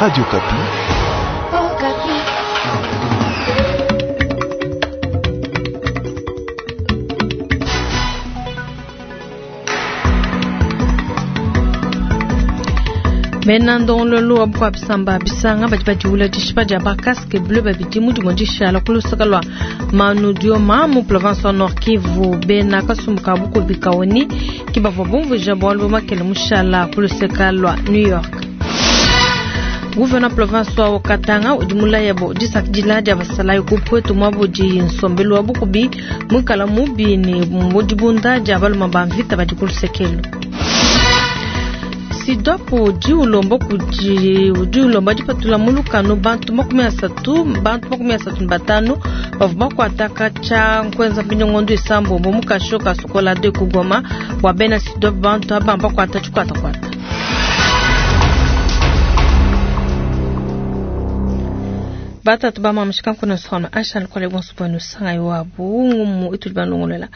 Radio Okapi. Bena ndongoluelu wa bukua bisamba bisanga badi badiwula dishipa dia ba casque bleu babidi mu dimue dishala ku luseke lua Manu Dioma mu province wa Nord Kivu. Bena kasumbu ka bukubi ka ONU ke bavua bumvuija bualu makele mushala ku luseke lua New York. Gouverneur province wa Katanga udi mulaya bo disakidila dia basalayi ku Pweto muaba udi nsombelu wa bukubi muikala mubi ne mu dibunda dia baluma ba mvita badi ku lusekelu. SYDOP udi ulomba kudi udi ulomba dipatula mu lukanu bantu 35 bantu 35 bavua bakuata katshia nkuenza mpindieu ngondo isambombo mu kasho ka Sokola 2 ku Goma. Bua bena SYDOP, bantu aba bakuata tshikuatakuata. Batatu bamamishika nkuna sona ashal kole bonso bwenu sangai wabu ngumu ituli balongolola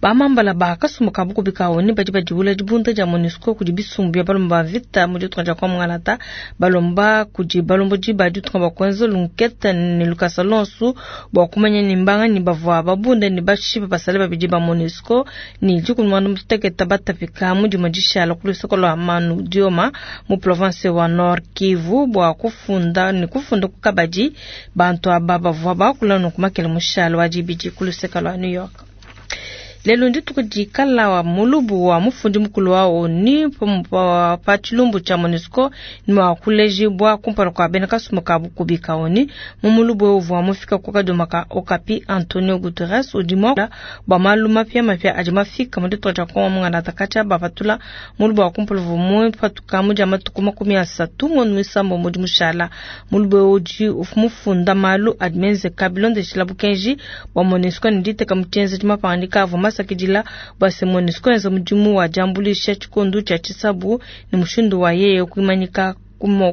bamambala bakasumbu ka bukubi ka ONU badi badiwula dibunda dia MONUSCO kudi bisumbu bia balomba ba vita mu ditunga dia Kwa balomba kudi balombodi ba ditunga bakwenza lunkete ne lukasa lonsu bua kumanya ni mbanga ni bavua babunda ni bashipa basale babidi ba MONUSCO ni dikumi mwandu muteketa batapika mu dimue dishala ku luseke lua Manu Dioma mu province wa Nord Kivu bua kufunda ni kufunda ku kabadi bantu aba bavua bakula nunku makele mushalo wa dibidi ku luseke lua New York. Lelo ndituku dikala wa mulubu wa mufundi mukulu wa ONU pa tshilumbu tshia MONUSCO ni wa kulejibwa kumpala kua bena kasumbu ka bukubi ka ONU mu mulubu uvua mufika ku kadoma ka Okapi. Antonio Guterres udi mua bua malu mapiamapia adi mafika mu ditunga dia Kongo mungana katshia bapatula mulubu wa kumpala uvua mupatuka mu dia matuku 30 ngondo muisambombo udi mushala. Mulubu udi mufunda malu adi menzeka bilondeshela bukenji bua MONUSCO ne diteka mu tshienzedi mapangadika avua masakidila bua se MONUSCO enza mudimu wa diambuluisha tshikondo tshia tshisabu ne mushindu wa yeye kuimanyika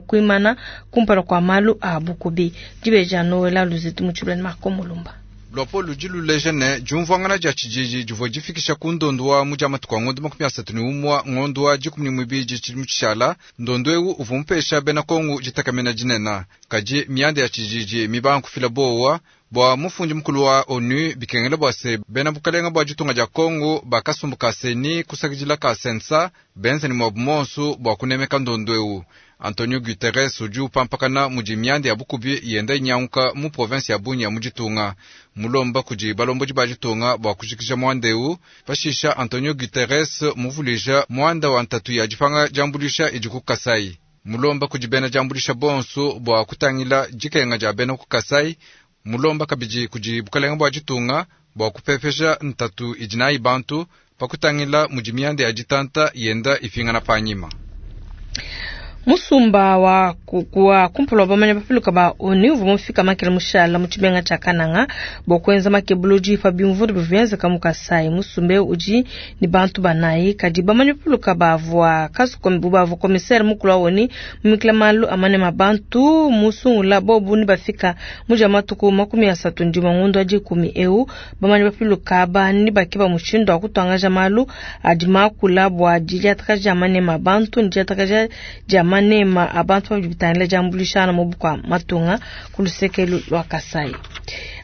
kuimana kumpala kua malu a bukubi. Dibeja Noela Luzitu mu tshibulani Marco Mulumba. Luapolo ludi luleja ne diumvuangana dia tshididi divua difikisha ku ndondo wa mu dia matuku a ngondo 31 ngondo wa 12 tshidimu tshishala. Ndondo ewu uvua mupesha bena Kongo ditakamena dinene, kadi mianda ya tshididi mibanga kufila bowa. Bua mufundi mukulu wa ONU, bikengela bua se bena bukalenga bua ditunga dia Kongo bakasumbu ka CENI kusakidila ka CNSA benza ne muabu monsu bua kunemeka ndondo ewu. Antonio Guterres udi upampakana mudi mianda ya bukubi yenda inyanguka mu province ya Bunia mu ditunga, mulomba kudi balombodi ba ditunga bua kujikija muanda ewu. Pashisha Antonio Guterres muvuluija muanda wa ntatu ya dipanga diambuluisha idi ku Kasai, mulomba kudi bena diambuluisha bonso bua kutangila dikenga dia bena ku Kasai, mulomba kabidi kudi bukalenga bua ditunga bua kupepesha ntatu idi nayi bantu pa kutangila mudi mianda ya ditanta yenda ipingana panyima. Musumba wa wa kumpala wa bamanya bapiluka ba ONU uvua mufika makele mushala mu tshimenga tshia Kananga bua kuenza makebuludi pa bimvundu bivua bienzeka mu Kasai. Musumba eu udi ne bantu banayi, kadi bamanya bapiluka bavua bavua commissaire mukulu wa ONU mumikila malu a manema bantu musungula bobu ne bafika mu dia matuku 31 ngondo wa 10 eu. Bamanya bapiluka aba ne bakeba mushindu wa kutuangaja malu adi makula bua didiatakaja dia manema bantu ne didiatakaja dia manema a bantu babidi bitangila diambuluishana mu bukua matunga ku luseke lua Kasai.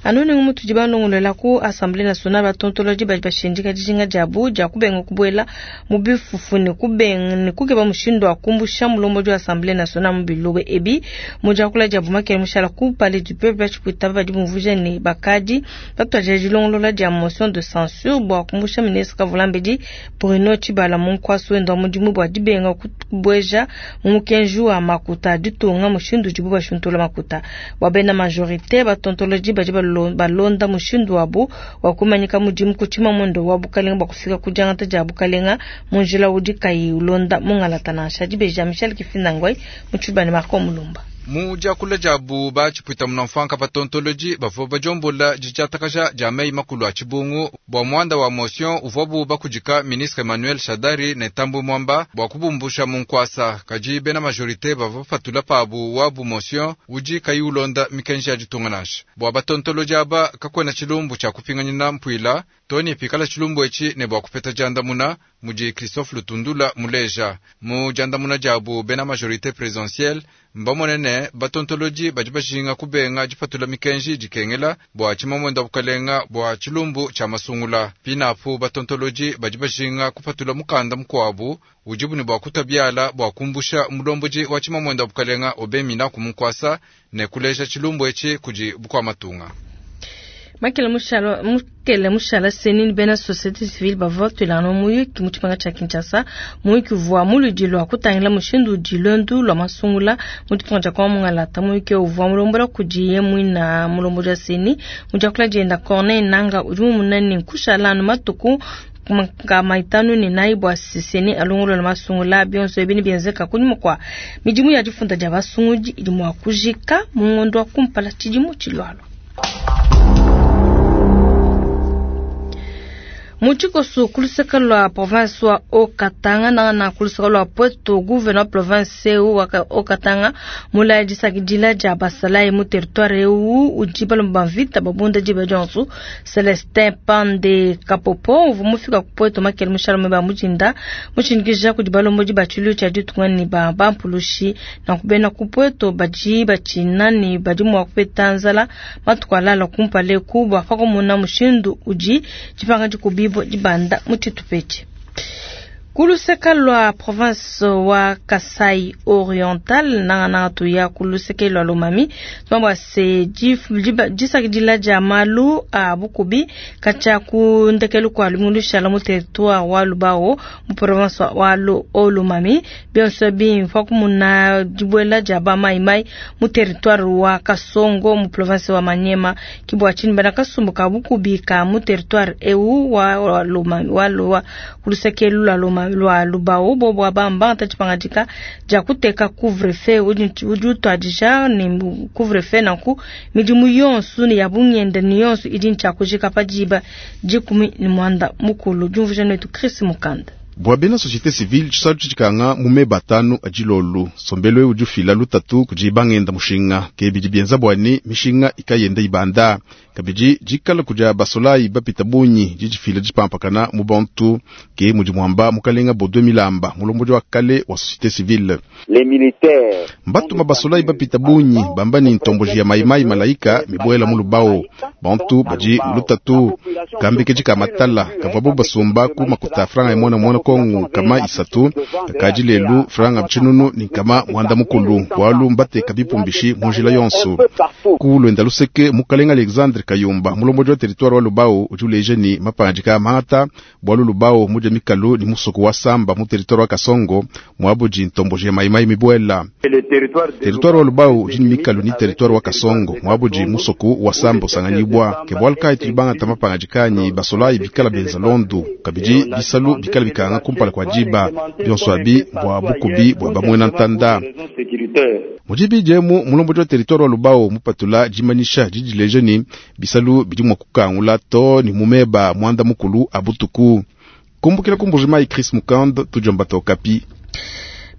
Anu ningu mutudi balongolola ku Assemblée nationale, batontolodi badi bashindika dijinga diabu dia kubenga kubuela mu bifufu ne kubenga ne kukeba mushindu wa kumbusha mulombodi wa Assemblée nationale mu bilobo ebi. Mu diakula diabu makele mushala ku Palais du Peuple, batshipwita badi bumvuija ne bakadi batuadija dilongolola dia motion de censure bua kumbusha ministre Kavulambedi Bruno Tshibala mu nkuasu wenda wa mudimu bua dibenga kubueja mu mukenji wa makuta a ditunga mushindu udibu bashuntula makuta. Bua bena majorité, batontolodi badi balonda mushindu wabu wa kumanyika mudimu ku tshimamuendo wa bukalenga bua kufika ku diangata dia bukalenga mu njila udi kayi ulonda mungalata nansha. Dibeja Michel Kifindangwai mu tshibani Marco Mulumba. Mu diakula diabu batshipwita munamfanka batontolodi bavua badiombola didiatakaja dia meyi makulu a tshibungu bua muanda wa motion uvuabu bakudika ministre Emmanuel Shadary ne Tambwe Mwamba bua kubumbusha mu nkuasa, kadi bena majorité bavua bapatula pabu wabu motion udi kayi ulonda mikenji ya ditunga nansha. Bua batontolodi aba kakuena tshilumbu tshia kupinganyina mpuila. Too ne pikala tshilumbu etshi ne bua kupeta diandamuna, mudi Christophe Lutundula muleja. Mu diandamuna diabu, bena Majorite Presidentielle mbamone ne, batontolodi badi bajinga kubenga dipatula mikenji idi ikengela bua tshimamuende wa bukalenga bua tshilumbu tshia masungula. Pinapu, batontolodi badi bajinga kupatula mukanda mukuabu udibu ne bua kutua biala bua kumbusha mulombodi wa tshimamuende wa bukalenga Aubin Minaku mu nkuasa ne kuleja tshilumbu etshi kudi bukua matunga. Makele mushala mukele mushala CENI ne bena societe civile bavua batuilangana mu muyuki mu tshipanga tshia Kinshasa. Muyuki uvua muludi lua kutangila mushindu udi luendu lua masungula mu ditunga dia Kongo mungalata. Muyuki eu uvua mulombola kudi ye muina mulombodi wa CENI. Mu diakula dienda Corneille Nanga udi mumuna ne nkushala anu matuku 54 bua CENI alongolola masungula. Bionso ebi nebienzeka kunyima kua midimu ya difunda dia basungudi idi mua kujika mu ngondo wa kumpala tshidimu tshilualua. Mu tshikoso ku luseke lua province wa Haut-Katanga nangana ku luseke lua Pweto, gouverneur wa province eu wa Haut-Katanga mulaya disakidila dia basalayi mu territoire eu udi balomba ba mvita babunda diba dionso. Celestin Pande Kapopo uvua mufika ku Pweto makele mushala ba mujinda mushindikija kudi balombodi ba tshiluilu tshia ditunga ne ba bampulushi. Nanku bena ku Pweto badi batshina ne badi mua kupeta nzala matuku alala kumpala eku bua pakumona mushindu udi dipanga dikubibua dibanda mu tshitupa etshi. Ku luseke lua province wa Kasai Oriental nangananga tuya ku luseke lua Lomami tumamba se disakidila dia malu a bukubi katshia ku ndekelu kua lumingu lushala mu territoire wa Lubao mu province wa Lomami bionso bimpa kumuna dibuela dia ba mai mai mu territoire wa Kasongo mu province wa Maniema. Ke bua tshinyi bena kasumbu ka bukubi ka mu territoire eu wa Lomami wa Lowa ku luseke lua Lomami lua Lubao bobo bamba tshipangadika dia kuteka couvre-feu udi utuadija ne couvre-feu nanku midimu yonso ne ya bungenda ne yonso idi ntshia pa diba 19. Diumvuija netu Chris Mukanda. Bua bena société civile tshisalu tshitshikanga mu meba atanu adilolu sombelo eu udi ufila lutatu kudi bangenda mushinga ke bidi bienza bua ne mishinga ikayenda ibanda kabidi dikala kudia basolayi bapita bungi didifila dipampakana mu bantu ke mudi muamba mukalenga Baudouin Milamba mulombodi wa kale wa société civile. Mbatuma basolayi bapita bungi bamba ni ntomboji ya maimai malaika mibuela mu lubao bantu badi mu lutatu kambekeji ka matala kavuabu basumba ku makuta franga ya mwana mwana Kongo kama isatu kakaji lelu franga tshinunu ni kama mwanda mukulu bwalu mbateka bipumbishi mu njila yonso. Ku lwenda luseke mukalenga Alexandre Kayumba mulombodi wa territoire wa Lubao udi uleja ni mapangadika mangata bwalu Lubao mudia mikalu ni musoko wa Samba mu territoire wa Kasongo mwabudi ntomboji ya maimai mibuela. Territoire wa Lubao udi ni mikalu ni territoire wa Kasongo mwabudi musoko wa Samba usanganyibwa ke bwalu kai tulibangata mapangadika ni basolayi bikala benza londu kabidi bisalu bikala bikanga kumpala kwa diba bionso abi bua bukubi bua bamwena ntanda. Mudibi diemu mulombodi wa territoire wa Lubao mupatula dimanyisha didileja ni bisalu bidi mua kukangula to ni mumeba mwanda mukulu abutuku. Kumbukila kumbujima Chris Mukand tujomba Okapi.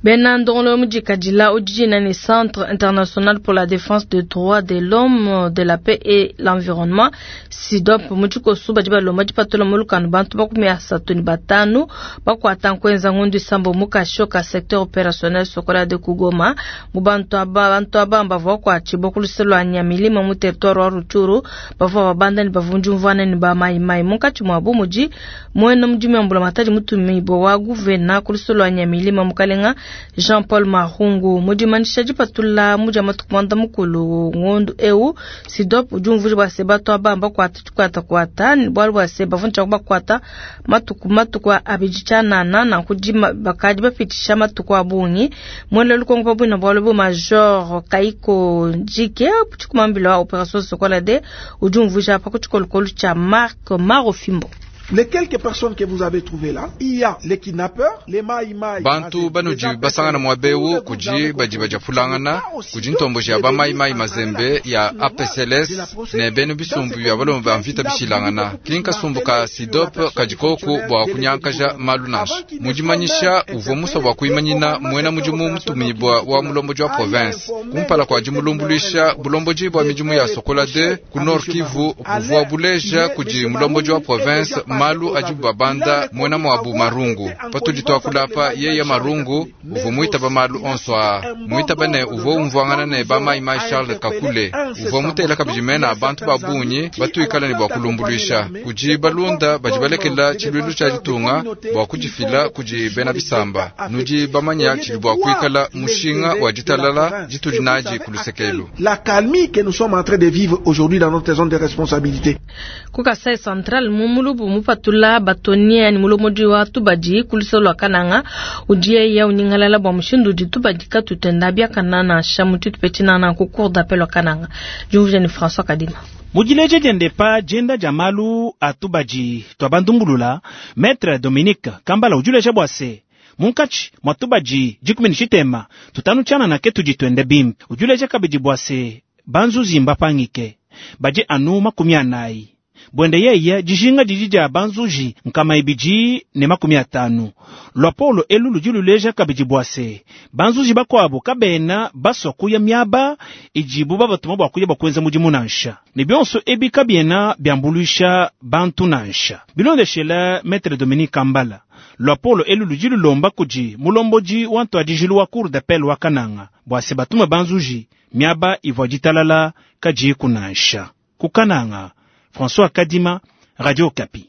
Bena ndongolo mudikadila udi ni Centre International pour la Défense des Droits de l'Homme, de la Paix et l'Environnement SIDOP mutshikosu badi balomba dipatula mulukanu bantu 35 bakuata nkwenza ngundu isambo mukashoka secteur opérationnel Sokola de Kugoma mu bantu aba bavua kuatshibua ku luse lua Nyamilima mu territoire wa Rutshuru bavua babanda ne bavunjumvuana ne ba maimai munkatshi muabu mudi muena mudimu ya mbulamatadi mutumibue wa guvena ku luse lua Nyamilima mukalenga Jean-Paul Marungu. Mudimanisha dipatula mudia matuku 90 ngondu eu SIDOP udi umvuija bua se batu aba bakuata tshikwatakwata bualu bua se bavunja bakuata matuku abidi tshianana nanku bakadi bapitisha matuku a bungi. Muena lukongo pabuina bualu bu Major Kaiko Njike tshikumambila wa Opération Sokola de udi umvuija pa ku tshikolokolo tshia Marc Marofimbo. Les quelques personnes que vous avez trouvées là, il y a les kidnappeurs, les maï-maï. Bantu banudi basangana muaba eu kudi badi badiapulangana kudi ntomboji ya ba maï-maï mazembe ya APCLS ne bena bisumbu bia balomba ba mvita bishilangana. Ki nkasumbu ka SIDOP kadi koku bua kunyankaja malu nansha. Mu dimanyisha uvua musua bua kuimanyina muena mudimu mutumibua wa mulombodi wa province kumpala kua dimulumbuluisha. Bulombodi bua midimu ya Sokola 2 ku Nord Kivu buvua buleja kudi mulombodi wa province malu adibu babanda muena muabu Marungu. Patudi tuakula apa, yeye Marungu uvua muitaba malu onso aa, muitaba ne uvua umvuangana ne ba Maï-Maï Charles Kakule. Uvua mutela kabidi mena a bantu ba bungi batuikala ne bua kulumbuluisha kudi balunda badi balekela tshiluilu tshia ditunga bua kudifila kudi bena bisamba. Nudi bamanya tshidi bua kuikala mushinga wa ditalala ditudi nadi ku lusekelu. La calmie que nous sommes en train de vivre aujourd'hui dans notre zone de responsabilité. Ku Kasai Central mu mulubu mupatula batonia ni mulomodi wa tubadi ku luseke lua Kananga udi yeya unyingalala bua mushindu udi tubadi katutenda biakana nansha mu tshitupa tshinana ku cour d'appel wa Kananga. Diumvuija ni François Kadima. Mu dileja diende pa dienda dia malu a tubadi tua bandumbulula, Maître Dominique Kambala udi uleja bua se munkatshi mua tubadi dikumi ne tshitema tutanu tshianana ke tudi tuende bimpe. Udi uleja kabidi bua se banzuzi mbapangike badi anu makumi anayi. Buende yeye dijinga didi dia banzuji nkama ibidi ne makumi atanu. Luapolo elu ludi luleja kabidi bua se banzuji bakuabu kabena basua kuya miaba idibu babatuma bua kuya bua kuenza mudimu nansha, ne bionso ebi kabiena biambuluisha bantu nansha. Bilondeshela Maître Dominique Kambala, luapolo elu ludi lulomba kudi mulombodi wa ntuadijilu wa cour d'appel wa Kananga bua se batume banzuji miaba ivua ditalala kadiku nansha. Ku Kananga, François Kadima, Radio Okapi.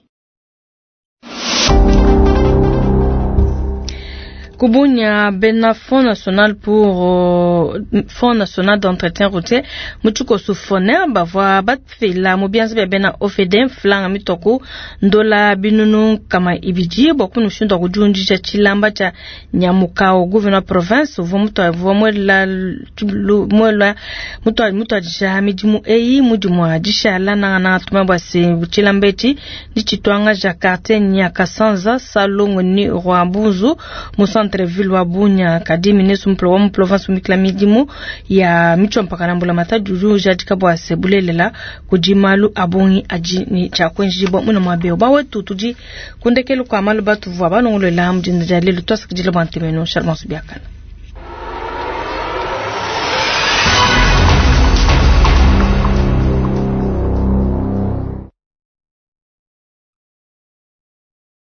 Ku Bunia bena Fonds national pour Fonds national d'entretien routier mu tshikoso FONER bavua bafila mu bianza bia bena OFD mflanga mitoku ndola binunu nkama ibidi bua kunushindu wa kudiundisha tshilamba tshia Nyamukao. Gouverneur province uvua mutua muela muela mutua mutuadija midimu eyi mudimu wa dishala nangananga tuma bua se tshilamba etshi nditshituangaja quartier Nyakasanza Salongo ni Rwambuzu mu centre ville wa Bunia. Kadi ministre wa mu province umikila midimu ya mitshompaka na mbulamatadi udi ujadika bua se bulelela kudi malu a bungi adi ne tshia kuenjibua muna muaba eu. Bawetu tudi ku ndekelu kua malu batuvua balongolola mu dinda dia lelu. Tuasakidila bua ntemenu. Shalom Subiakana.